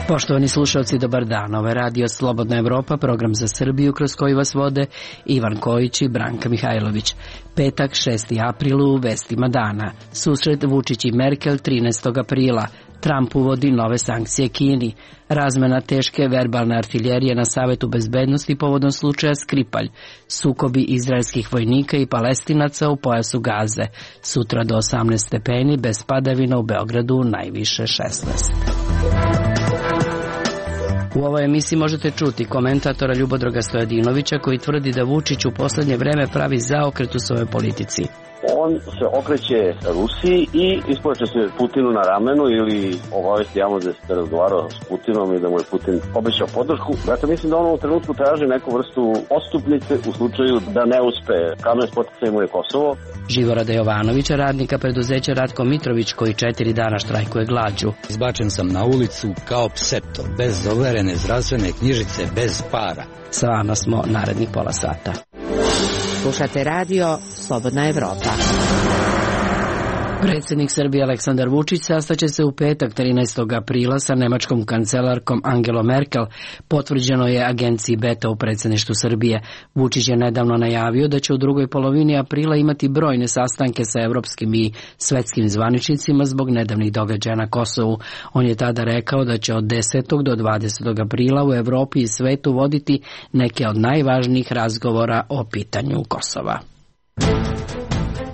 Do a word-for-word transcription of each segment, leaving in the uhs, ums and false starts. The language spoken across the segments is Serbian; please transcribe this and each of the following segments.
Poštovani slušalci, dobar dan. Ovo je Radio Slobodna Evropa, program za Srbiju kroz koji vas vode Ivan Kojić i Branka Mihajlović. Petak, šesti april, u vestima dana. Susret Vučić i Merkel trinaestog aprila. Trump uvodi nove sankcije Kini. Razmena teške verbalne artiljerije na Savetu bezbednosti povodom slučaja Skripalj. Sukobi izraelskih vojnika i Palestinaca u pojasu Gaze. Sutra do osamnaest stepeni, bez padavina, u Beogradu najviše šesnaest. U ovoj emisiji možete čuti komentatora Ljubodroga Stojadinovića koji tvrdi da Vučić u poslednje vreme pravi zaokret u svojoj politici. On se okreće Rusiji i ispoče se Putinu na ramenu ili obavesti javno da se razgovarao s Putinom i da mu je Putin obećao podršku. Dakle, mislim da on u trenutku traži neku vrstu odstupnice u slučaju da ne uspe. Kamen spoticaj mu je Kosovo. Živorada Jovanovića, radnika preduzeća Ratko Mitrović, koji četiri dana štrajkuje glađu. Izbačen sam na ulicu kao psepto, bez overene zdravstvene knjižice, bez para. Sa vama smo narednih pola sata. Slušate radio Slobodna Evropa. Predsjednik Srbije Aleksandar Vučić sastaće se u petak trinaestog aprila sa nemačkom kancelarkom Angelom Merkel, potvrđeno je agenciji Beta u predsjedništvu Srbije. Vučić je nedavno najavio da će u drugoj polovini aprila imati brojne sastanke sa evropskim i svetskim zvaničnicima zbog nedavnih događaja na Kosovu. On je tada rekao da će od desetog do dvadesetog aprila u Evropi i svetu voditi neke od najvažnijih razgovora o pitanju Kosova.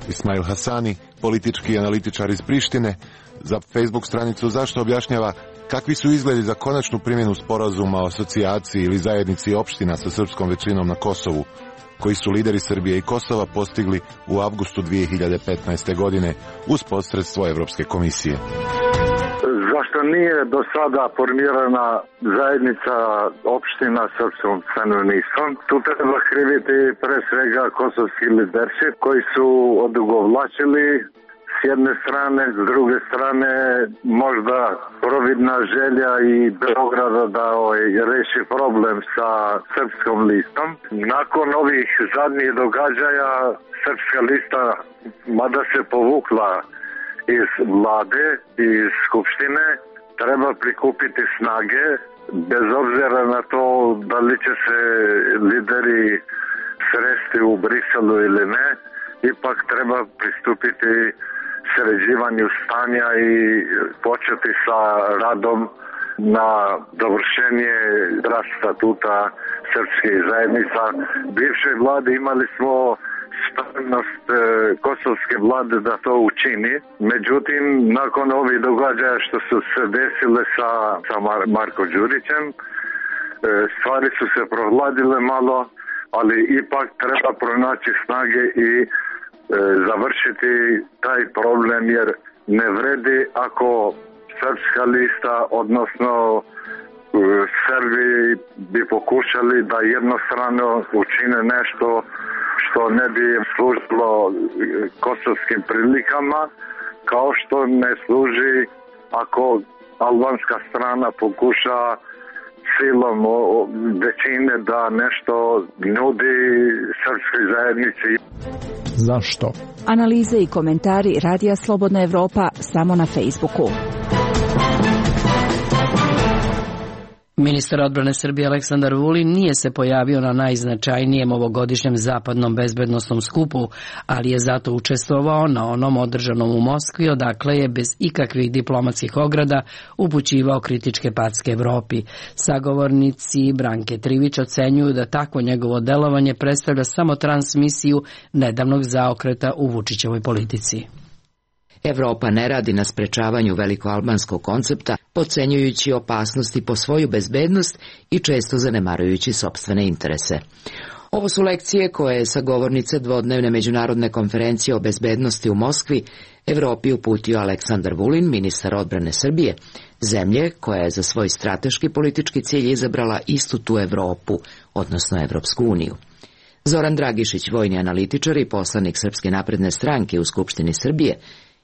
Ismail Hasani, politički analitičar iz Prištine, za Facebook stranicu Zašto objašnjava kakvi su izgledi za konačnu primjenu sporazuma o asocijaciji ili zajednici opština sa srpskom većinom na Kosovu, koji su lideri Srbije i Kosova postigli u avgustu dvije hiljade petnaeste. godine uz posredstvo Evropske komisije. Zašto nije do sada formirana zajednica opština srpskom stanovništvom? Tu treba kriviti pre svega kosovski liderši koji su odugovlačili s jedne strane, s druge strane možda providna želja i Beograda da reši problem sa srpskom listom. Nakon ovih zadnjih događaja srpska lista, mada se povukla iz vlade i iz skupštine, treba prikupiti snage, bez obzira na to da li će se lideri sresti u Briselu ili ne, ipak treba pristupiti sređivanju stanja i početi sa radom na dovršenje draft statuta srpskih zajednica. Bivše vlade imali smo spremnost e, kosovske vlade da to učini. Međutim, nakon ovih događaja što su se desile sa, sa Mar Marko Đurićem, e, stvari su se prohladile malo, ali ipak treba pronaći snage i e, završiti taj problem, jer ne vredi ako srpska lista, odnosno e, Srbi bi pokušali da jednostrano učine nešto što ne bi služilo kosovskim prilikama, kao što ne služi ako albanska strana pokuša silom većine da nešto nudi srpskoj zajednici. Zašto? Analize i komentari Radija Slobodna Evropa samo na Facebooku. Ministar odbrane Srbije Aleksandar Vulin nije se pojavio na najznačajnijem ovogodišnjem zapadnom bezbednosnom skupu, ali je zato učestvovao na onom održanom u Moskvi, odakle je bez ikakvih diplomatskih ograda upućivao kritičke packe Evropi. Sagovornici Branke Trivić ocenjuju da takvo njegovo delovanje predstavlja samo transmisiju nedavnog zaokreta u Vučićevoj politici. Evropa ne radi na sprečavanju velikoalbanskog koncepta, podcenjujući opasnosti po svoju bezbednost i često zanemarujući sopstvene interese. Ovo su lekcije koje je sagovornica dvodnevne međunarodne konferencije o bezbednosti u Moskvi Evropi uputio Aleksandar Vulin, ministar odbrane Srbije, zemlje koja je za svoj strateški politički cilj izabrala istu tu Evropu, odnosno Evropsku uniju. Zoran Dragišić, vojni analitičar i poslanik Srpske napredne stranke u Skupštini Srbije,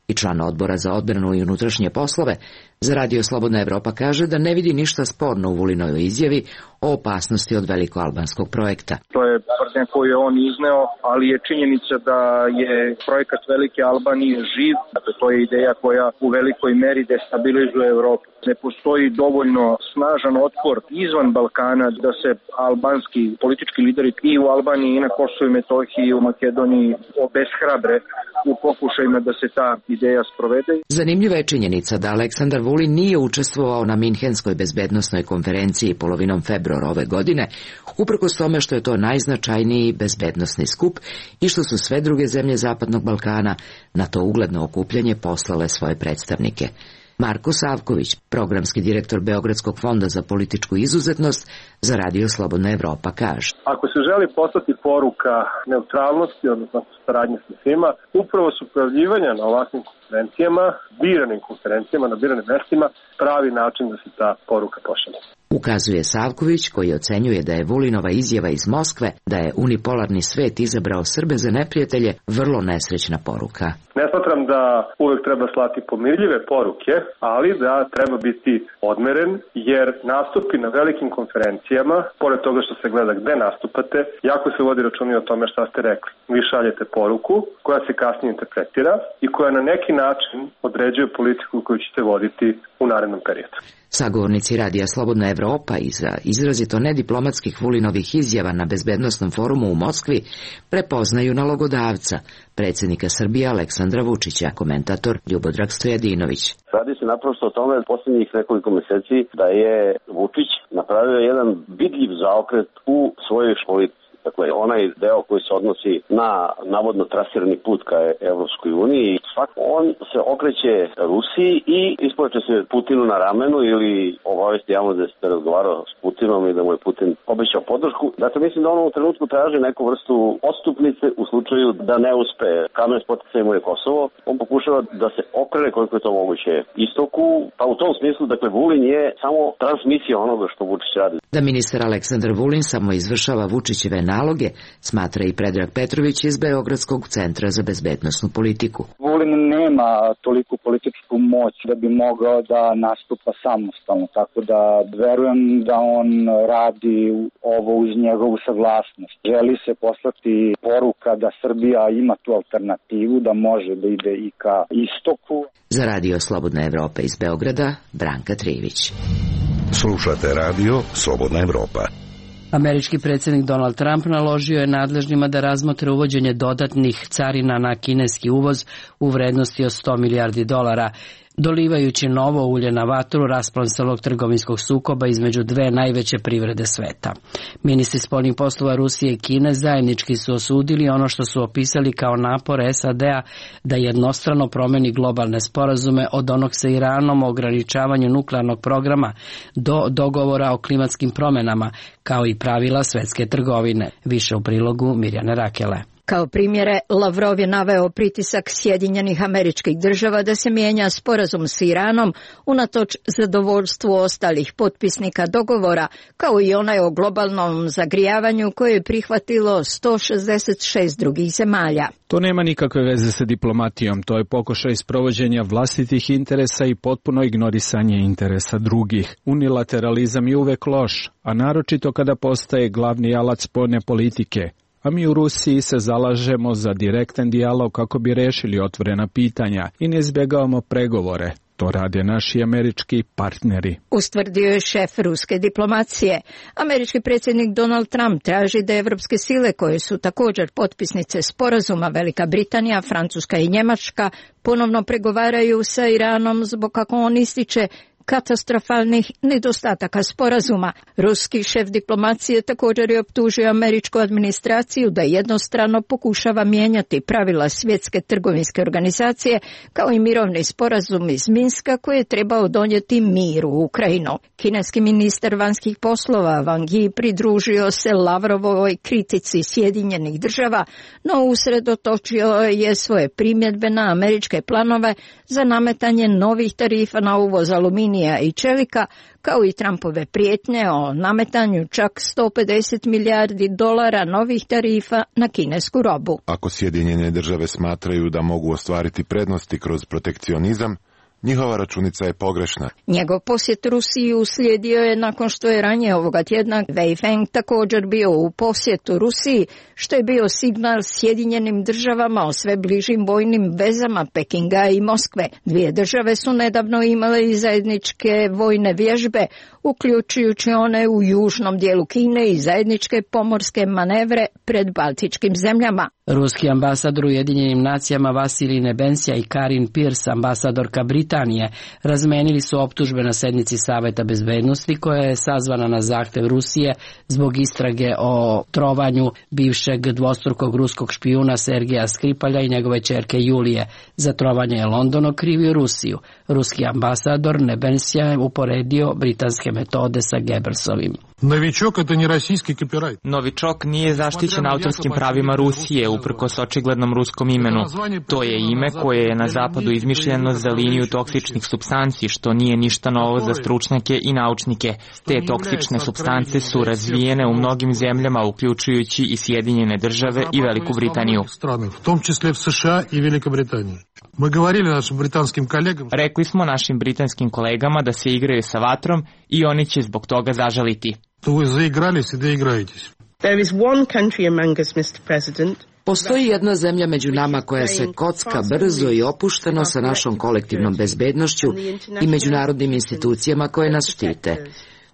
i član odbora za odbranu i unutrašnje poslove, za Radio Slobodna Evropa kaže da ne vidi ništa sporno u Vulinovoj izjavi o opasnosti od velikoalbanskog projekta. To je tvrdnja koju je on izneo, ali je činjenica da je projekat Velike Albanije živ. Dakle, to je ideja koja u velikoj meri destabilizuje Evropu. Ne postoji dovoljno snažan otpor izvan Balkana da se albanski politički lideri i u Albaniji i na Kosovu i Metohiji i u Makedoniji obeshrabre u pokušajima da se ta ideja sprovede. Zanimljiva je činjenica da Aleksandar Vulin nije učestvovao na Minhenskoj bezbednosnoj konferenciji polovinom februara ove godine, uprkos tome što je to najznačajniji bezbednosni skup i što su sve druge zemlje Zapadnog Balkana na to ugledno okupljanje poslale svoje predstavnike. Marko Savković, programski direktor Beogradskog fonda za političku izuzetnost, za Radio Slobodna Evropa kaže: Ako se želi poslati poruka neutralnosti, odnosno saradnje sa svima, upravo su pojavljivanja na ovakvim konferencijama, biranim konferencijama, na biranim mestima, pravi način da se ta poruka pošalje. Ukazuje Savković, koji ocenjuje da je Vulinova izjava iz Moskve da je unipolarni svet izabrao Srbe za neprijatelje vrlo nesrećna poruka. Ne smatram da uvek treba slati pomirljive poruke, ali da treba biti odmeren, jer nastupi na velikim konferencijama, pored toga što se gleda gde nastupate, jako se vodi računa o tome šta ste rekli. Vi šaljete poruku koja se kasnije interpretira i koja na neki način određuje politiku koju ćete voditi u narednom periodu. Sagovornici Radija Slobodna Evropa iza izrazito nediplomatskih Vulinovih izjava na bezbednosnom forumu u Moskvi prepoznaju nalogodavca, predsjednika Srbije Aleksandra Vučića, komentator Ljubodrag Stojadinović. Radi se naprosto o tome posljednjih nekoliko meseci da je Vučić napravio jedan vidljiv zaokret u svojoj politici. Dakle, onaj deo koji se odnosi na navodno trasirani put ka Evropskoj uniji, on se okreće Rusiji i ispoveće se Putinu na ramenu ili obavesti javno da se razgovarao s Putinom i da mu je Putin obećao podršku. Dakle, mislim da on u trenutku traži neku vrstu odstupnice u slučaju da ne uspe. Kamen spoticaj mu je Kosovo. On pokušava da se okrene koliko je to moguće istoku, pa u tom smislu, dakle, Vulin je samo transmisija onoga što Vučić radi. Da ministar Aleksandar Vulin samo izvršava Vučićeve naloge, smatra i Predrag Petrović iz Beogradskog centra za bezbednosnu politiku. Vulin nema toliku političku moć da bi mogao da nastupa samostalno, tako da verujem da on radi ovo uz njegovu saglasnost. Želi se poslati poruka da Srbija ima tu alternativu, da može da ide i ka istoku. Za Radio Slobodna Evropa iz Beograda, Branka Trivić. Slušate Radio Slobodna Evropa. Američki predsjednik Donald Trump naložio je nadležnima da razmotre uvođenje dodatnih carina na kineski uvoz u vrednosti od sto milijardi dolara, dolivajući novo ulje na vatru raspon celog trgovinskog sukoba između dve najveće privrede sveta. Ministri spoljnih poslova Rusije i Kine zajednički su osudili ono što su opisali kao napor S A D-a da jednostrano promeni globalne sporazume od onog sa Iranom o ograničavanju nuklearnog programa do dogovora o klimatskim promjenama, kao i pravila svetske trgovine. Više u prilogu Mirjane Rakele. Kao primjere, Lavrov je naveo pritisak Sjedinjenih Američkih Država da se mijenja sporazum s Iranom unatoč zadovoljstvu ostalih potpisnika dogovora, kao i onaj o globalnom zagrijavanju koje je prihvatilo sto šezdeset šest drugih zemalja. To nema nikakve veze sa diplomatijom, to je pokušaj sprovođenja vlastitih interesa i potpuno ignorisanje interesa drugih. Unilateralizam je uvek loš, a naročito kada postaje glavni alat spoljne politike. A mi u Rusiji se zalažemo za direktan dijalog kako bi rešili otvorena pitanja i ne izbjegavamo pregovore. To rade naši američki partneri. Ustvrdio je šef ruske diplomacije. Američki predsjednik Donald Trump traži da evropske sile, koje su također potpisnice sporazuma Velika Britanija, Francuska i Njemačka, ponovno pregovaraju sa Iranom zbog, kako on ističe, katastrofalnih nedostataka sporazuma. Ruski šef diplomacije također je optužio američku administraciju da jednostrano pokušava mijenjati pravila svjetske trgovinske organizacije, kao i mirovni sporazum iz Minska koji je trebao donijeti mir u Ukrajinu. Kineski ministar vanjskih poslova Wang Yi pridružio se Lavrovoj kritici Sjedinjenih Država, no usredotočio je svoje primjedbe na američke planove za nametanje novih tarifa na uvoz aluminija i čelika, kao i Trumpove prijetnje o nametanju čak sto pedeset milijardi dolara novih tarifa na kinesku robu. Ako Sjedinjene Države smatraju da mogu ostvariti prednosti kroz protekcionizam, njihova računica je pogrešna. Njegov posjet Rusiji uslijedio je nakon što je ranije ovoga tjedna Wei Feng također bio u posjetu Rusiji, što je bio signal Sjedinjenim državama o sve bližim vojnim vezama Pekinga i Moskve. Dvije države su nedavno imale i zajedničke vojne vježbe, uključujući one u južnom dijelu Kine i zajedničke pomorske manevre pred baltičkim zemljama. Ruski ambasador u Ujedinjenim nacijama Vasilij Nebensija i Karin Pierce, ambasadorka Britanije, razmenili su optužbe na sednici Saveta bezbednosti koja je sazvana na zahtev Rusije zbog istrage o trovanju bivšeg dvostrukog ruskog špijuna Sergeja Skripalja i njegove ćerke Julije. Za trovanje je London okrivio Rusiju. Ruski ambasador Nebensija je uporedio britanske metode sa Goebbelsovim. Novičok je ne rasijski kopirajt. Novičok nije zaštićen autorskim pravima Rusije, uprkos očiglednom ruskom imenu. To je ime koje je na zapadu izmišljeno za liniju toksičnih supstanci, što nije ništa novo za stručnjake i naučnike. Te toksične supstance su razvijene u mnogim zemljama, uključujući i Sjedinjene države i Veliku Britaniju. U tom čисле v S Š A i Velika Britanija. Rekli smo našim britanskim kolegama da se igraju sa vatrom i oni će zbog toga zažaliti. Postoji jedna zemlja među nama koja se kocka brzo i opušteno sa našom kolektivnom bezbednošću i međunarodnim institucijama koje nas štite.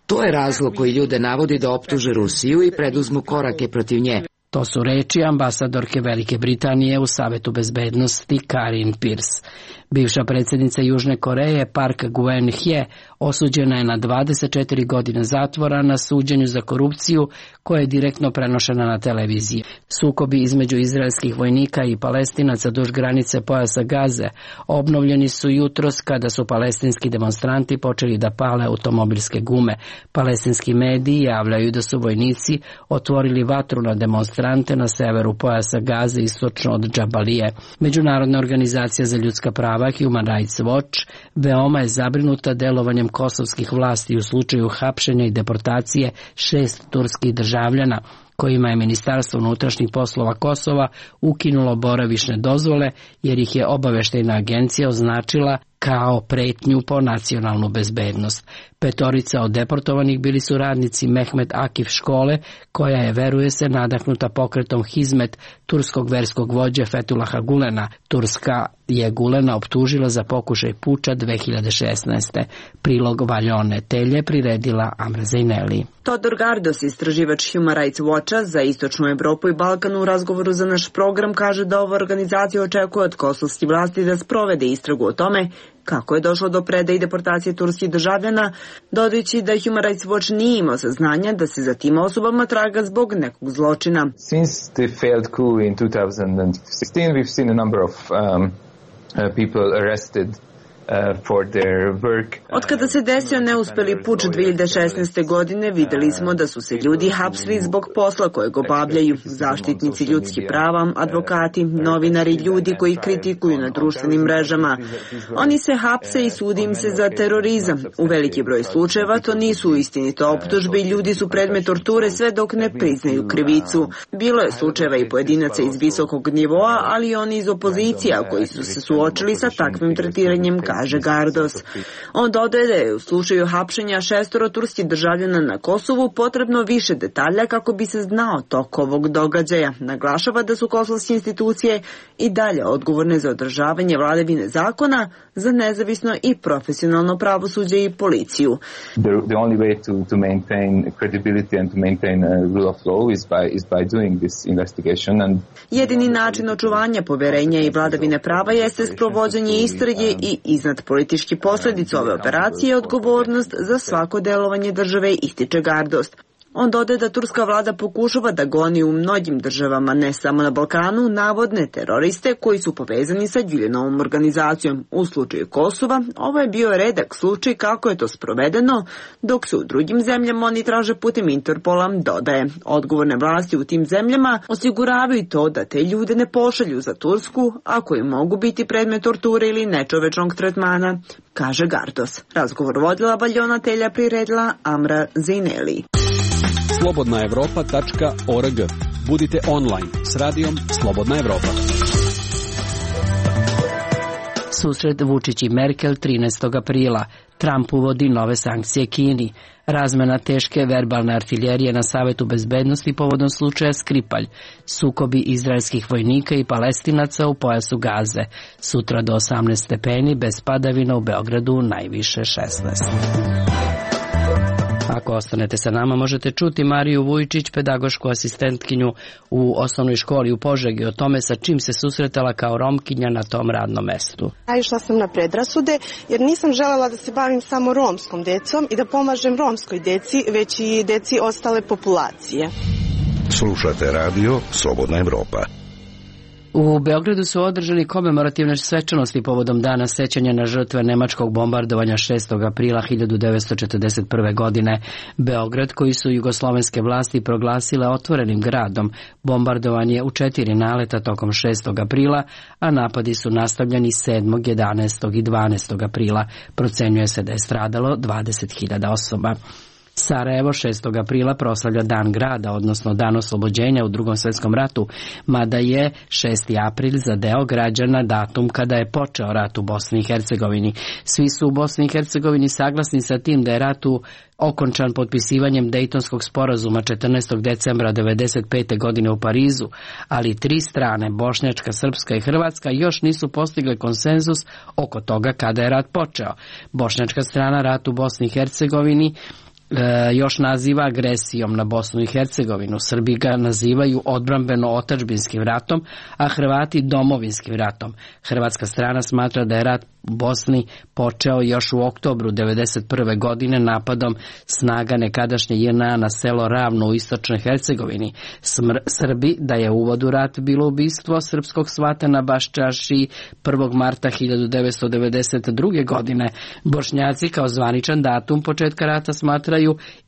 To je razlog koji ljude navodi da optuže Rusiju i preduzmu korake protiv nje. To su reči ambasadorke Velike Britanije u Savetu bezbednosti Karin Pierce. Bivša predsjednica Južne Koreje Park Geun-hye osuđena je na dvadeset četiri godine zatvora na suđenju za korupciju koja je direktno prenošena na televiziji. Sukobi između izraelskih vojnika i Palestinaca duž granice pojasa Gaze obnovljeni su jutros kada su palestinski demonstranti počeli da pale automobilske gume. Palestinski mediji javljaju da su vojnici otvorili vatru na demonstrante na severu pojasa Gaze istočno od Džabalije. Međunarodna organizacija za ljudska prava Human Rights Watch veoma je zabrinuta delovanjem kosovskih vlasti u slučaju hapšenja i deportacije šest turskih državljana kojima je Ministarstvo unutrašnjih poslova Kosova ukinulo boravišne dozvole jer ih je obaveštajna agencija označila kao pretnju po nacionalnu bezbednost. Petorica od deportovanih bili su radnici Mehmet Akif škole, koja je, veruje se, nadahnuta pokretom Hizmet turskog verskog vođe Fethulaha Gulena. Turska je Gulena optužila za pokušaj puča dve hiljade šesnaeste. Prilog Valjone Telje priredila Amra Zejneli. Todor Gardos, istraživač Human Rights Watcha za Istočnu Evropu i Balkan, u razgovoru za naš program kaže da ova organizacija očekuje od kosovskih vlasti da sprovede istragu o tome kako je došlo do predaje i deportacije turskih državljana, dodajući da Human Rights Watch nije imao saznanja da se za tim osobama traga zbog nekog zločina. Since the failed coup in two thousand sixteen, we've seen a number of um, uh, people arrested Od kada se desio neuspeli puč dve hiljade šesnaeste. godine, videli smo da su se ljudi hapsili zbog posla kojeg obavljaju. Zaštitnici ljudskih prava, advokati, novinari, ljudi koji kritikuju na društvenim mrežama. Oni se hapse i sudi im se za terorizam. U veliki broj slučajeva to nisu istinite optužbe i ljudi su predmet torture sve dok ne priznaju krivicu. Bilo je slučajeva i pojedinaca iz visokog nivoa, ali i oni iz opozicija koji su se suočili sa takvim tretiranjem, kaže Gardos. On dodaje da je u slučaju hapšenja šestoro turskih državljana na Kosovu potrebno više detalja kako bi se znao tok ovog događaja. Naglašava da su kosovske institucije i dalje odgovorne za održavanje vladavine zakona, za nezavisno i profesionalno pravosuđe i policiju. The, the only way to, to maintain credibility and to maintain a rule of law is by, is by doing this investigation. And jedini način očuvanja poverenja i vladavine prava jeste sprovođenje istrage i iznad politički posljedica ove operacije je odgovornost za svako delovanje države, ističe Gardos. On dodaje da turska vlada pokušava da goni u mnogim državama, ne samo na Balkanu, navodne teroriste koji su povezani sa Güljenovom organizacijom. U slučaju Kosova ovo je bio redak slučaj kako je to sprovedeno, dok se u drugim zemljama oni traže putem Interpola, dodaje. Odgovorne vlasti u tim zemljama osiguravaju to da te ljude ne pošalju za Tursku, ako im mogu biti predmet torture ili nečovečnog tretmana, kaže Gardos. Razgovor vodila Valjona Telja, priredila Amra Zejneli. slobodna evropa tačka org. Budite online s radijom Slobodna Evropa. Susret Vučić i Merkel trinaestog aprila. Trump uvodi nove sankcije Kini. Razmena teške verbalne artiljerije na Savetu bezbednosti povodom slučaja Skripalj. Sukobi izraelskih vojnika i Palestinaca u pojasu Gaze. Sutra do osamnaest stepeni, bez padavina, u Beogradu najviše šesnaest. Ako ostanete sa nama, možete čuti Mariju Vujčić, pedagošku asistentkinju u osnovnoj školi u Požegi, o tome sa čim se susretala kao Romkinja na tom radnom mestu. Naišla sam na predrasude jer nisam želela da se bavim samo romskom decom i da pomažem romskoj deci, već i deci ostale populacije. Slušate radio Slobodna Evropa. U Beogradu su održani komemorativne svečanosti povodom dana sećanja na žrtve nemačkog bombardovanja šestog aprila hiljadu devetsto četrdeset prve. godine. Beograd, koji su jugoslovenske vlasti proglasile otvorenim gradom, bombardovan je u četiri naleta tokom šestog aprila, a napadi su nastavljeni sedmog, jedanaestog i dvanaestog aprila. Procenjuje se da je stradalo dvadeset hiljada osoba. Sarajevo šestog aprila proslavlja Dan grada, odnosno Dan oslobođenja u Drugom svjetskom ratu, mada je šesti april za deo građana datum kada je počeo rat u Bosni i Hercegovini. Svi su u Bosni i Hercegovini saglasni sa tim da je rat u okončan potpisivanjem Dejtonskog sporazuma četrnaestog decembra devedeset pete. godine u Parizu, ali tri strane, bošnjačka, srpska i hrvatska, još nisu postigle konsenzus oko toga kada je rat počeo. Bošnjačka strana rat u Bosni i Hercegovini E, još naziva agresijom na Bosnu i Hercegovinu. Srbi ga nazivaju odbrambeno-otadžbinskim ratom, a Hrvati domovinskim ratom. Hrvatska strana smatra da je rat u Bosni počeo još u oktobru devedeset prve. godine napadom snaga nekadašnje J N A na selo Ravno u istočnoj Hercegovini. Smr- Srbi da je uvod u rat bilo ubistvo srpskog svata na Baščaši prvog marta hiljadu devetsto devedeset druge. godine. Bošnjaci kao zvaničan datum početka rata smatraju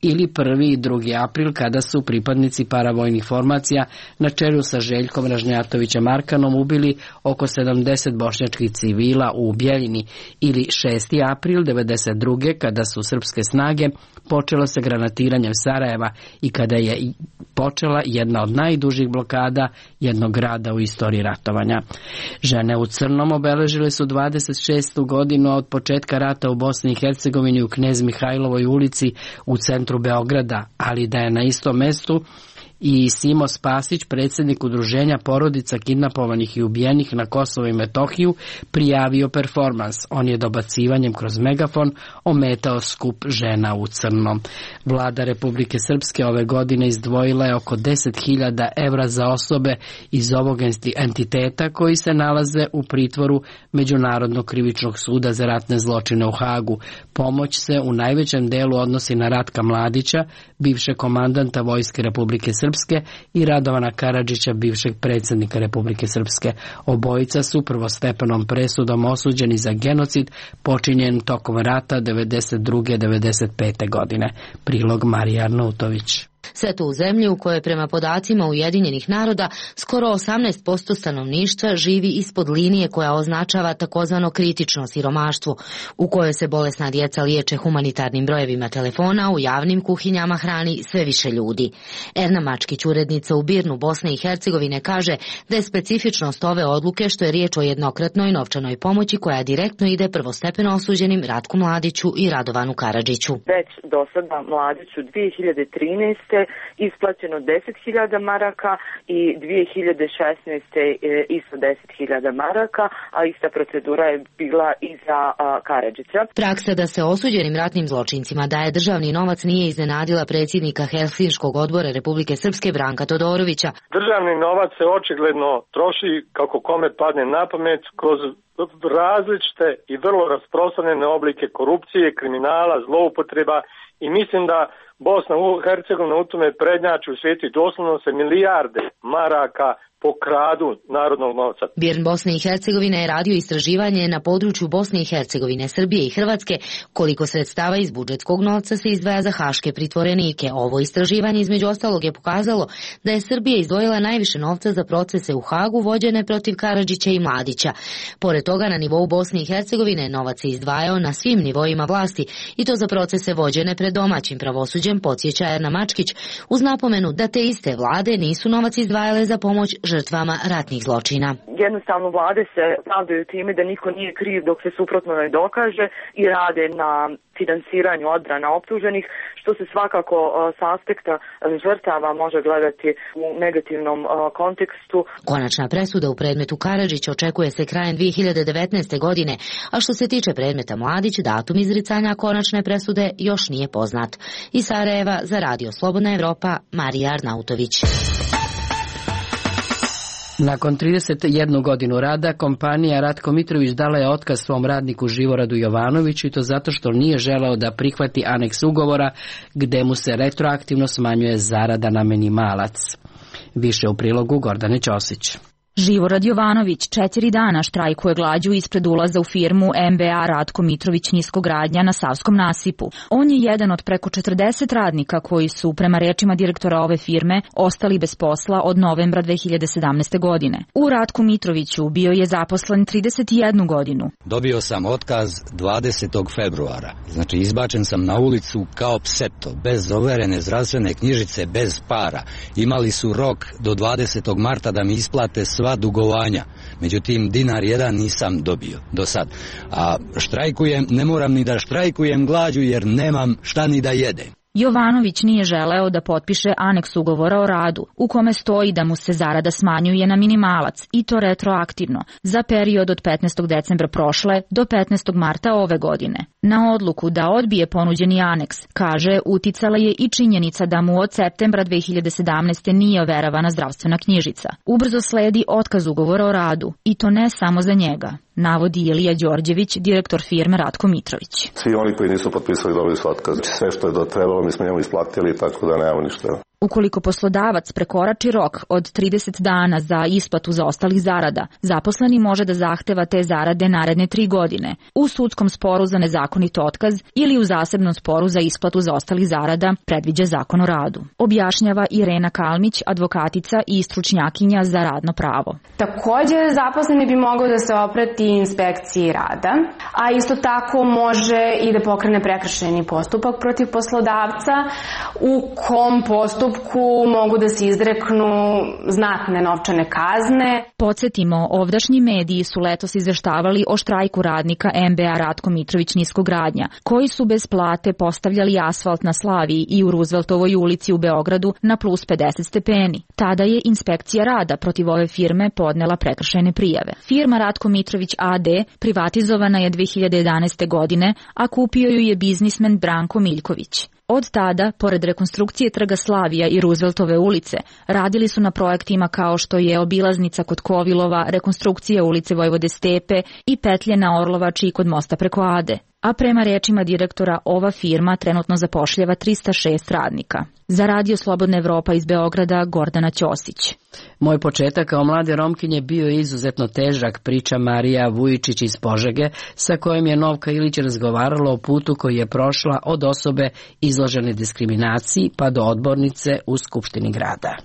ili prvi i drugi april, kada su pripadnici paravojnih formacija na čelu sa Željkom Ražnjatovićem Arkanom ubili oko sedamdeset bošnjačkih civila u Bjeljini, ili šesti april devedeset druge. kada su srpske snage počelo sa granatiranjem Sarajeva i kada je počela jedna od najdužih blokada jednog grada u istoriji ratovanja. Žene u crnom obeležile su dvadeset šestu godinu od početka rata u Bosni i Hercegovini u Knez Mihajlovoj ulici u centru Beograda, ali da je na istom mestu i Simo Spasić, predsjednik udruženja porodica kidnapovanih i ubijenih na Kosovo i Metohiju, prijavio performans. On je dobacivanjem kroz megafon ometao skup žena u crnom. Vlada Republike Srpske ove godine izdvojila je oko deset hiljada evra za osobe iz ovog entiteta koji se nalaze u pritvoru Međunarodnog krivičnog suda za ratne zločine u Hagu. Pomoć se u najvećem delu odnosi na Ratka Mladića, bivšeg komandanta Vojske Republike Srpske, i Radovana Karadžića, bivšeg predsjednika Republike Srpske. Obojica su prvostepenom presudom osuđeni za genocid počinjen tokom rata devedeset druge devedeset pete. godine. Prilog Marija Arnautović. Sve to u zemlji u kojoj prema podacima Ujedinjenih naroda skoro osamnaest posto stanovništva živi ispod linije koja označava takozvano kritično siromaštvo, u kojoj se bolesna djeca liječe humanitarnim brojevima telefona, u javnim kuhinjama hrani sve više ljudi. Erna Mačkić, urednica u Birnu, Bosne i Hercegovine, kaže da je specifičnost ove odluke što je riječ o jednokratnoj novčanoj pomoći koja direktno ide prvostepeno osuđenim Ratku Mladiću i Radovanu Karadžiću. Već do sada Mladiću dvije hiljade trinaeste isplaćeno deset hiljada maraka i dvije hiljade šesnaeste isto deset hiljada maraka, a ista procedura je bila i za Karadžića. Praksa da se osuđenim ratnim zločincima daje državni novac nije iznenadila predsjednika Helsinškog odbora Republike Srpske Branka Todorovića. Državni novac se očigledno troši kako kome padne na pamet kroz različite i vrlo rasprostranjene oblike korupcije, kriminala, zloupotreba, i mislim da Bosna i Hercegovina u tome prednjači u svijetu i doslovno se milijarde maraka pokradu narodnog novca. Birn Bosne i Hercegovine je radio istraživanje na području Bosne i Hercegovine, Srbije i Hrvatske koliko sredstava iz budžetskog novca se izdvaja za haške pritvorenike. Ovo istraživanje između ostalog je pokazalo da je Srbija izdvojila najviše novca za procese u Hagu vođene protiv Karadžića i Mladića. Pored toga na nivou Bosne i Hercegovine novac se izdvajao na svim nivoima vlasti i to za procese vođene pred domaćim pravosuđem, podsjeća Erna Mačkić, uz napomenu da te iste vlade nisu novac izdvajale za pomoć žrtvama ratnih zločina. Jednostavno vlade se pravdaju time da niko nije kriv dok se suprotno ne dokaže i rade na finansiranju odbrana optuženih, što se svakako s aspekta žrtava može gledati u negativnom kontekstu. Konačna presuda u predmetu Karadžić očekuje se krajem dve hiljade devetnaeste. godine, a što se tiče predmeta Mladić, datum izricanja konačne presude još nije poznat. Iz Sarajeva za Radio Slobodna Evropa, Marija Arnautović. Nakon trideset jednu godinu rada, kompanija Ratko Mitrović dala je otkaz svom radniku Živoradu Jovanoviću i to zato što nije želeo da prihvati aneks ugovora gde mu se retroaktivno smanjuje zarada na minimalac. Više u prilogu Gordane Ćosić. Živorad Jovanović četiri dana štrajkuje glađu ispred ulaza u firmu M B A Ratko Mitrović Niskogradnja na Savskom nasipu. On je jedan od preko četrdeset radnika koji su, prema rečima direktora ove firme, ostali bez posla od novembra dve hiljade sedamnaeste. godine. U Ratku Mitroviću bio je zaposlen trideset jednu godinu. Dobio sam otkaz dvadesetog februara. Znači izbačen sam na ulicu kao pseto, bez overene zdravstvene knjižice, bez para. Imali su rok do dvadesetog marta da mi isplate sva dugovanja. Međutim, dinar jedan nisam dobio do sad. A štrajkujem, ne moram ni da štrajkujem glađu jer nemam šta ni da jedem. Jovanović nije želeo da potpiše aneks ugovora o radu, u kome stoji da mu se zarada smanjuje na minimalac, i to retroaktivno, za period od petnaestog decembra prošle do petnaestog marta ove godine. Na odluku da odbije ponuđeni aneks, kaže, uticala je i činjenica da mu od septembra dve hiljade sedamnaeste. nije overavana zdravstvena knjižica. Ubrzo sledi otkaz ugovora o radu, i to ne samo za njega, navodi Ilija Đorđević, direktor firme Ratko Mitrović. Svi oni koji nisu potpisali dobili su otkaz. Sve što je do trebalo mi smo njemu isplatili, tako da nemamo ništa. Ukoliko poslodavac prekorači rok od trideset dana za isplatu zaostalih zarada, zaposleni može da zahteva te zarade naredne tri godine u sudskom sporu za nezakonit otkaz ili u zasebnom sporu za isplatu zaostalih zarada, predviđa Zakon o radu. Objašnjava Irena Kalmić, advokatica i stručnjakinja za radno pravo. Također, zaposleni bi mogao da se obrati inspekciji rada, a isto tako može i da pokrene prekršajni postupak protiv poslodavca u kom postupu mogu da se izreknu znatne novčane kazne. Podsjetimo, ovdašnji mediji su letos izveštavali o štrajku radnika M B A Ratko Mitrović Niskogradnja, koji su bez plate postavljali asfalt na Slaviji i u Rooseveltovoj ulici u Beogradu na plus pedeset stepeni. Tada je inspekcija rada protiv ove firme podnela prekršajne prijave. Firma Ratko Mitrović A D privatizovana je dve hiljade jedanaeste. godine, a kupio ju je biznismen Branko Miljković. Od tada, pored rekonstrukcije trga Slavija i Rooseveltove ulice, radili su na projektima kao što je obilaznica kod Kovilova, rekonstrukcija ulice Vojvode Stepe i petlje na Orlovači kod mosta preko Ade. A prema rečima direktora, ova firma trenutno zapošljava trista šest radnika. Za Radio Slobodna Evropa iz Beograda, Gordana Ćosić. Moj početak kao mlade Romkinje bio je izuzetno težak, priča Marija Vujičić iz Požege, sa kojom je Novka Ilić razgovarala o putu koji je prošla od osobe izložene diskriminaciji pa do odbornice u Skupštini grada.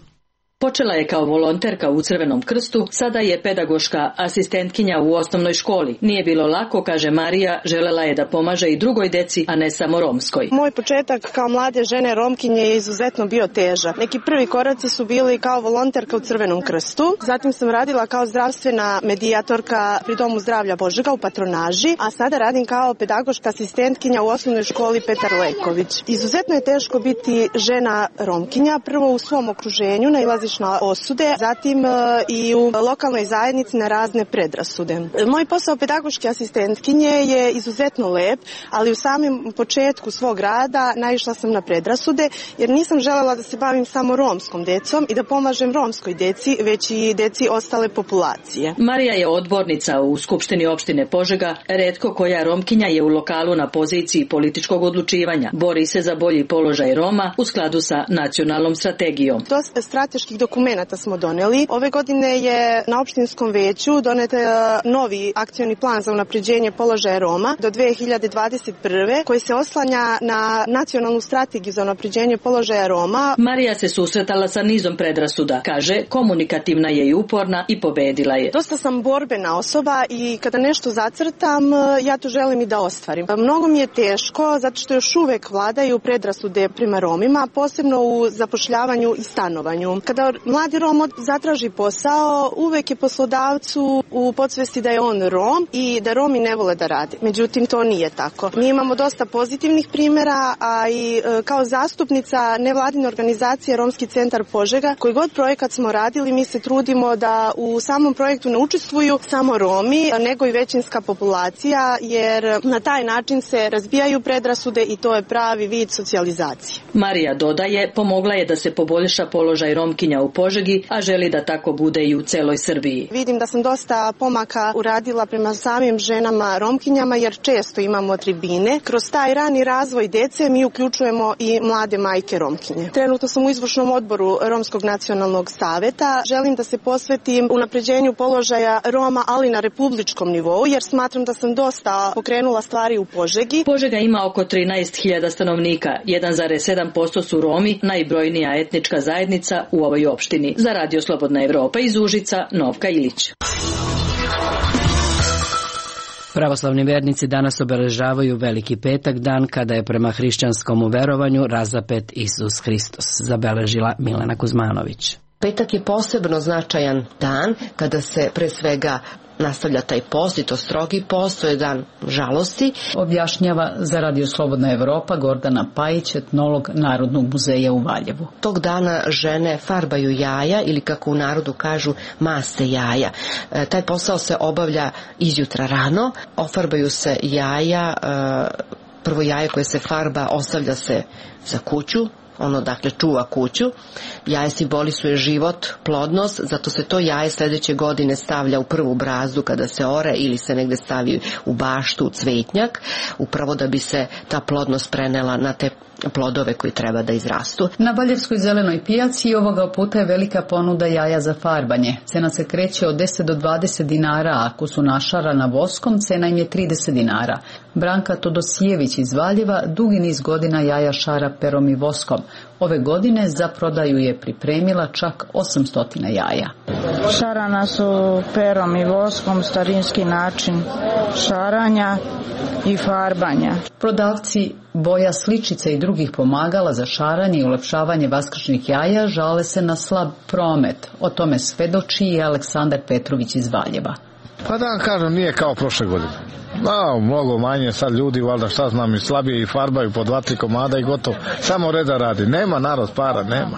Počela je kao volonterka u Crvenom krstu, sada je pedagoška asistentkinja u osnovnoj školi. Nije bilo lako, kaže Marija, želela je da pomaže i drugoj deci, a ne samo romskoj. Moj početak kao mlade žene Romkinje je izuzetno bio težak. Neki prvi koraci su bili kao volonterka u Crvenom krstu, zatim sam radila kao zdravstvena medijatorka pri Domu zdravlja Požega u patronaži, a sada radim kao pedagoška asistentkinja u osnovnoj školi Petar Leković. Izuzetno je teško biti žena Romkinja, prvo u svom okruženju nailaziš na osude, zatim i u lokalnoj zajednici na razne predrasude. Moj posao pedagoške asistentkinje je izuzetno lep, ali u samom početku svog rada naišla sam na predrasude, jer nisam želela da se bavim samo romskom decom i da pomažem romskoj deci, već i deci ostale populacije. Marija je odbornica u Skupštini opštine Požega, retko koja Romkinja je u lokalu na poziciji političkog odlučivanja. Bori se za bolji položaj Roma u skladu sa nacionalnom strategijom. Dosta strateških dokumenata smo doneli. Ove godine je na opštinskom veću donet novi akcioni plan za unapređenje položaja Roma do dve hiljade dvadeset prve. koji se oslanja na nacionalnu strategiju za unapređenje položaja Roma. Marija se susretala sa nizom predrasuda. Kaže, komunikativna je i uporna i pobedila je. Dosta sam borbena osoba i kada nešto zacrtam, ja to želim i da ostvarim. Mnogo mi je teško zato što još uvek vladaju predrasude prema Romima, posebno u zapošljavanju i stanovanju. Kada kada mladi Rom zatraži posao, uvek je poslodavcu u podsvesti da je on Rom i da Romi ne vole da rade. Međutim, to nije tako. Mi imamo dosta pozitivnih primjera, a i kao zastupnica nevladine organizacije Romski centar Požega, koji god projekat smo radili, mi se trudimo da u samom projektu ne učestvuju samo Romi, nego i većinska populacija, jer na taj način se razbijaju predrasude i to je pravi vid socijalizacije. Marija dodaje, pomogla je da se poboljša položaj Romkinja u Požegi, a želi da tako bude i u celoj Srbiji. Vidim da sam dosta pomaka uradila prema samim ženama Romkinjama, jer često imamo tribine. Kroz taj rani razvoj dece mi uključujemo i mlade majke Romkinje. Trenutno sam u izvršnom odboru Romskog nacionalnog saveta. Želim da se posvetim unapređenju položaja Roma, ali na republičkom nivou, jer smatram da sam dosta pokrenula stvari u Požegi. Požega ima oko trinaest hiljada stanovnika, jedan zarez sedam posto su Romi, najbrojnija etnička zajednica u ovoj opštini. Za Radio Slobodna Evropa iz Užica, Novka Ilić. Pravoslavni vernici danas obeležavaju Veliki petak, dan kada je prema hrišćanskom verovanju razapet Isus Hristos, zabeležila Milena Kuzmanović. Petak je posebno značajan dan kada se pre svega nastavlja taj post, i to strogi post, to je dan žalosti. Objašnjava za Radio Slobodna Evropa Gordana Pajić, etnolog Narodnog muzeja u Valjevu. Tog dana žene farbaju jaja ili, kako u narodu kažu, maste jaja. E, taj posao se obavlja izjutra rano, ofarbaju se jaja, e, prvo jaje koje se farba ostavlja se za kuću, ono dakle čuva kuću. Jaje simbolisuje život, plodnost, zato se to jaje sljedeće godine stavlja u prvu brazdu kada se ore ili se negde stavi u baštu, u cvetnjak, upravo da bi se ta plodnost prenela na te plodove koji treba da izrastu. Na Valjevskoj zelenoj pijaci ovoga puta je velika ponuda jaja za farbanje. Cena se kreće od deset do dvadeset dinara, a ako su našarana voskom, cena im je trideset dinara. Branka Todosijević iz Valjeva dugi niz godina jaja šara perom i voskom. Ove godine za prodaju je pripremila čak osamsto jaja. Šarana su perom i voskom, starinski način šaranja i farbanja. Prodavci boja, sličica i drugih pomagala za šaranje i ulepšavanje vaskršnjih jaja žale se na slab promet. O tome svedoči i Aleksandar Petrović iz Valjeva. Pa da vam kažem, nije kao prošle godine. No, mnogo manje, sad ljudi, valjda šta znam, i slabije i farbaju po dva, tri komada i gotovo. Samo reda radi. Nema narod para, nema.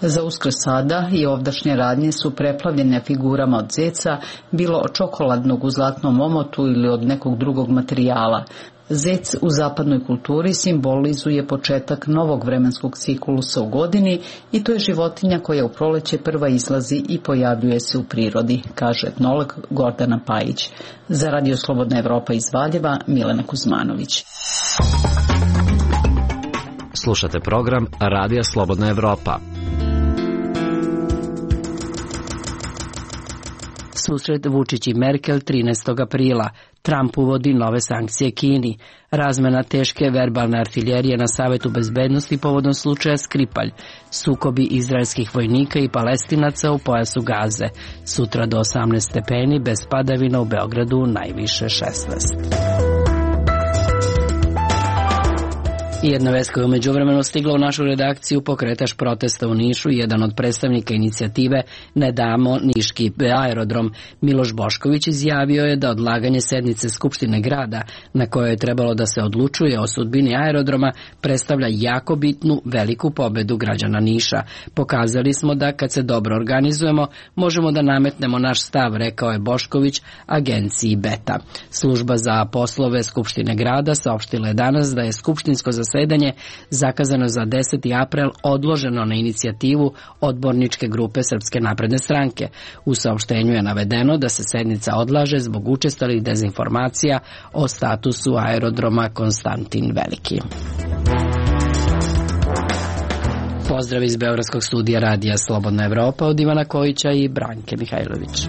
Za Uskrs sada i ovdašnje radnje su preplavljene figurama od zeca, bilo od čokoladnog u zlatnom omotu ili od nekog drugog materijala. Zec u zapadnoj kulturi simbolizuje početak novog vremenskog ciklusa u godini i to je životinja koja u proleće prva izlazi i pojavljuje se u prirodi, kaže etnolog Gordana Pajić. Za Radio Slobodna Evropa iz Valjeva, Milena Kuzmanović. Slušate program Radija Slobodna Evropa. Susret Vučić i Merkel trinaestog aprila. Trump uvodi nove sankcije Kini. Razmena teške verbalne artiljerije na Savetu bezbednosti povodom slučaja Skripalj. Sukobi izraelskih vojnika i Palestinaca u pojasu Gaze. Sutra do osamnaest stepeni, bez padavina, u Beogradu najviše šesnaest. I jedna vest koja je umeđu vremenu stigla u našu redakciju: pokretač protesta u Nišu, jedan od predstavnika inicijative Ne damo niški aerodrom, Miloš Bošković, izjavio je da odlaganje sednice Skupštine grada, na kojoj je trebalo da se odlučuje o sudbini aerodroma, predstavlja jako bitnu, veliku pobedu građana Niša. Pokazali smo da kad se dobro organizujemo, možemo da nametnemo naš stav, rekao je Bošković agenciji Beta. Služba za poslove Skupštine grada saopštila je danas da je skupštinsko zasedanje zakazano za deseti april odloženo na inicijativu odborničke grupe Srpske napredne stranke. U saopštenju je navedeno da se sednica odlaže zbog učestalih dezinformacija o statusu aerodroma Konstantin Veliki. Pozdrav iz Beogradskog studija Radija Slobodna Evropa od Ivana Kojića i Branke Mihajlović.